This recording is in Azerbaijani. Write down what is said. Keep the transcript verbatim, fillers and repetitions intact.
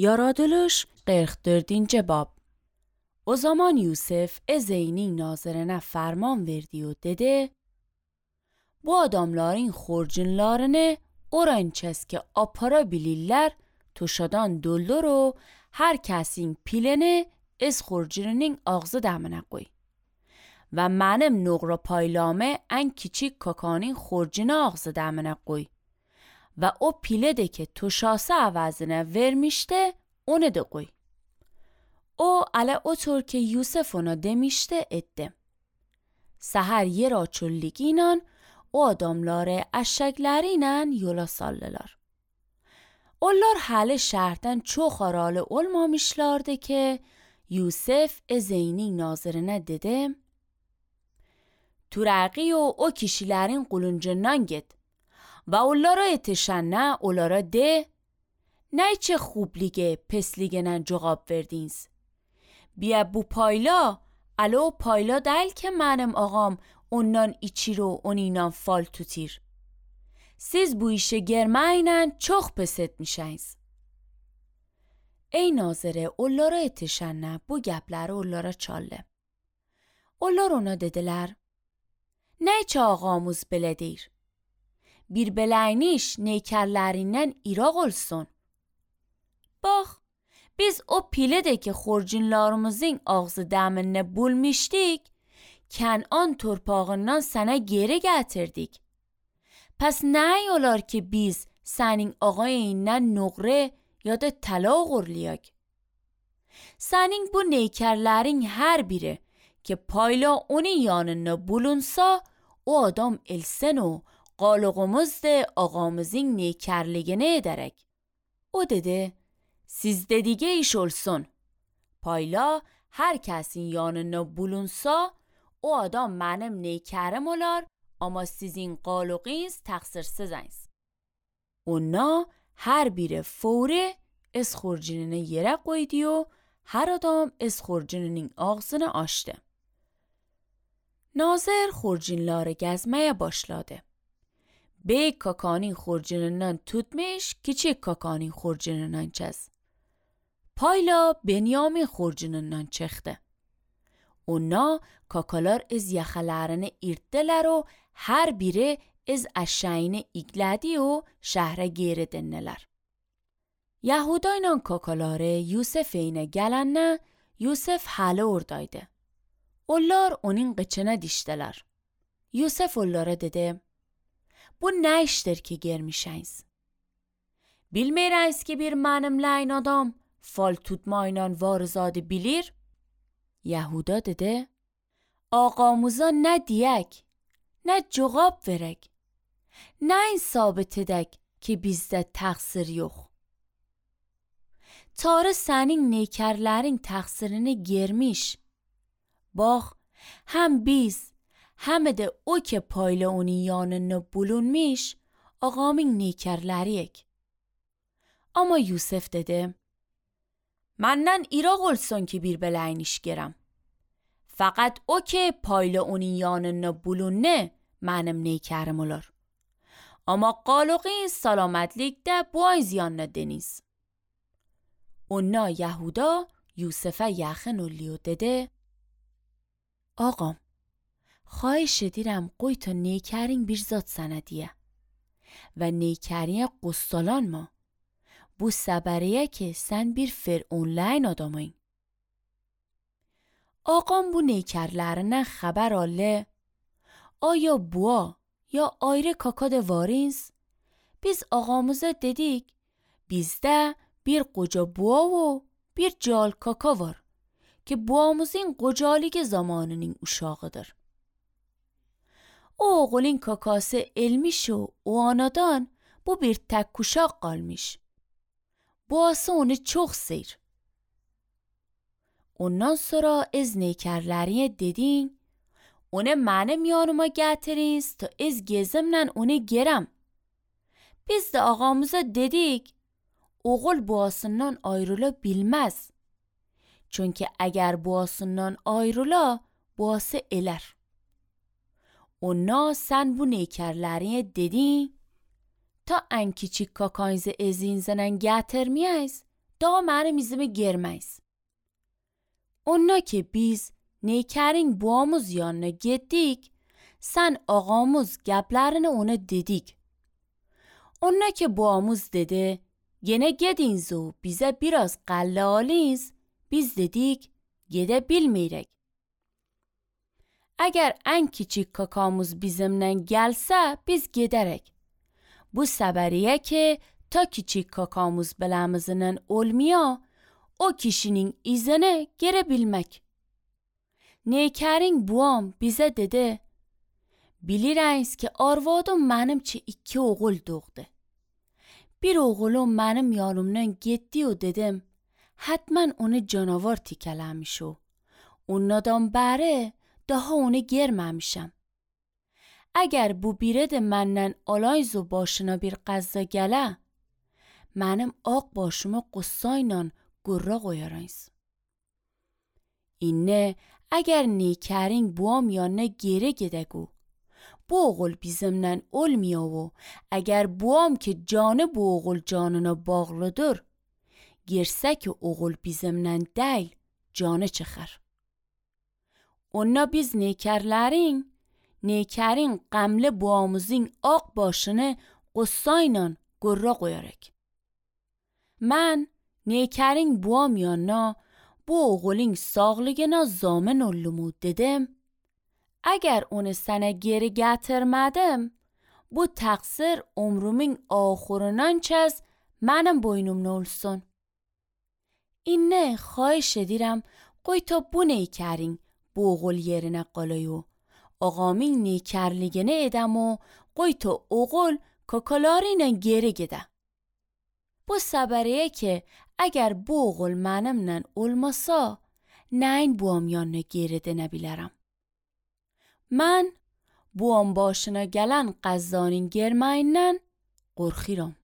Yaradılış qırx dördüncü bab. O zaman Yusuf ezeynin nazirine ferman verdi و dedi: Bu adamların xorcunlarını orançes ki apara bilirler tuşadan doldur و her kesin pilini از xorcunun ağzı dəminə qoy. و mənim نقره paylamı en küçük kakanın xorcunu ağzı dəminə qoy. و o pile de که tuşası عوضine vermişti onu da koy. O ala otur ki Yusuf ona demişti etti. Səhər yer açıldıqıyla o adamları eşeklerine yola saldılar. Onlar hələ şəhərdən çox aralı olmamışlardı ki Yusuf ezeynin nazirine dedi: Turaqi o o kişilerin quluncundan git. و onlara yetişənə onlara de: Ne çe خوب لیگه پس لیگنن cevap verdiniz. Bia bu payla alo payla değil ki benim ağam ondan içir و onunla fal tutir. Siz bu işe girmeyinən çok pes etmişsiniz. Ey nazire onlara yetişənə bu gəpləri onlara çaldı. Onlar ona dediler: Ne çe ağamız belə deyir? Bir beləyniş neykerlerinden iraq olsun. Bax, biz o piledeki xorcunlarımızın ağzı dəminə bulmuşdik, Kənan torpağından sana geri getirdik. Pes ne olar ki biz senin ağayından nqre ya da طلا uğurlayak? Senin bu neykerlerin her biri ki payla onun yanına bulunsa, o adam elsen o qalığımız da ağamızın neykerliğine ederek. O dedi: Siz dediğe iş olsun. Payla her kesin yanına bulunsa, o adam benim neykerim olar ama sizin qalığınız təqsirsizsiniz. Ona her biri fوری از xorcununu yere koydu و her adam از xorcununun ağzını açtı. Nazir xorcunları gezmeye başladı. Bey kakanın xorcunundan tutmuş, küçük kakanın xorcunundan çez. Payla Benyamin xorcunundan çıktı. Ona kakalar از yaxalarını irtdiler و her biri از eşeğini igledi و şehre geri döndiler. Yahudayla kakaları Yusuf'ine gelene Yusuf halı oradaydı. Onlar onun qıçına diştiler. Yusuf onlara dedi: Bu ne iştir ki girmişsiniz? Bilmeyiniz ki bir mənimleyin adam fal tutmayla varızadı bilir? Yahuda dedi: Ağamıza ne diyek, ne cevap verek, ne sabit edek ki bizde təqsir yok. Tarı senin neykerlerin təqsirini girmiş. Bax, hem biz hem de o که payla onun yanına bulunmuş ağamın neykerleriyek. Ama Yusuf dedi: Menden iraq olsun ki bir beləyniş gerem. Fakat o که payla onun yanına bulunne benim neykerim olur. Ama qalığın selametlikdə bu ay ziyanına deniz. Ona Yahuda Yusuf'a yaxın oluyor dedi: Ağam, خواهش دیرم قوی تا نیکرین bir zat سندیه و نیکریه قستالان ما bu səbəriyə ki sən bir fir'unləyin adamın. Ağam bu neykərlərindən xəbər aldı. Aya bua ya ayrı kaka da varınız? Biz ağamıza dedik, bizdə bir qoca bua و bir cal kaka var ki buamızın qocalığı zamanının uşağıdır. O oğulun kakası elmiş و o anadan bu bir tek kuşak qalmış. Boğası onu çok seyir. Ondan sonra از neykerləriye dedin, onu mənim yanıma gətiriniz ta az gezimlə onu gerem. Biz de ağamıza dedik, oğul boğasından ayrıla bilmez. Çünkü eğer boğasından ayrıla, boğası eler. Ona sen bu neykerləriye dedin, ta en küçük kakayızı ezinizden gətirmeyiz, daha mənim izimi germeyiz. Onna ki biz Neykerin buamız yanına gittik, sen ağamız gəplərini ona dedik. Onna ki buamız dedi, gene gediniz o bize biraz qalle aliniz, biz dedik, gede bilmeyerek. Eğer en küçük kakamız bizimle gelse biz giderek. Bu səbəriyə ki ta küçük kakamız beləmizinin olmaya, o kişinin izini girebilmek. Neykerin buam bize dedi, bilirəniz ki arvadım mənim çi iki oğul doğdu. Bir oğulum mənim yanımdan getdi o dedim, hatman onu canavar tikələmiş o. Ondan bəri daha onu germəmişəm. Eğer bu biri de məndən alayız o başına bir qəzza gələ, mənim ağ başımı qıssayla qurra qoyarayız. İnne eğer Neykerin buam yanına geri gedegu, bu oğul bizimle olmuyor o, eğer buam ki canı bu oğul canına bağlıdır, girse ki oğul bizimle değil, canı çıxar. Onna biz Neykerlerin, Neykerin qəmli buamızın ağ başını qıssayla qurra qoyarak. Mən Neykerin buam yanına bu oğulun sağlığına zamin ollumu dedim. Eğer onu sana geri getirmedim, bu təqsir ömrümün ahırından çəz mənim boynumda olsun. İnne xahiş edirəm, qoy ta bu Neykerin bu oğul yerine qalayu. Ağamın Neykerligini edəm o, qoy ta oğul kakalarıyla geri gede. Bu səbəriyə ki, eğer bu oğul mənimlə olmasa, nəyin buam yanına geri dənə bilərəm. Mən buam başına gələn qəzzanın germəyindən qorxiram.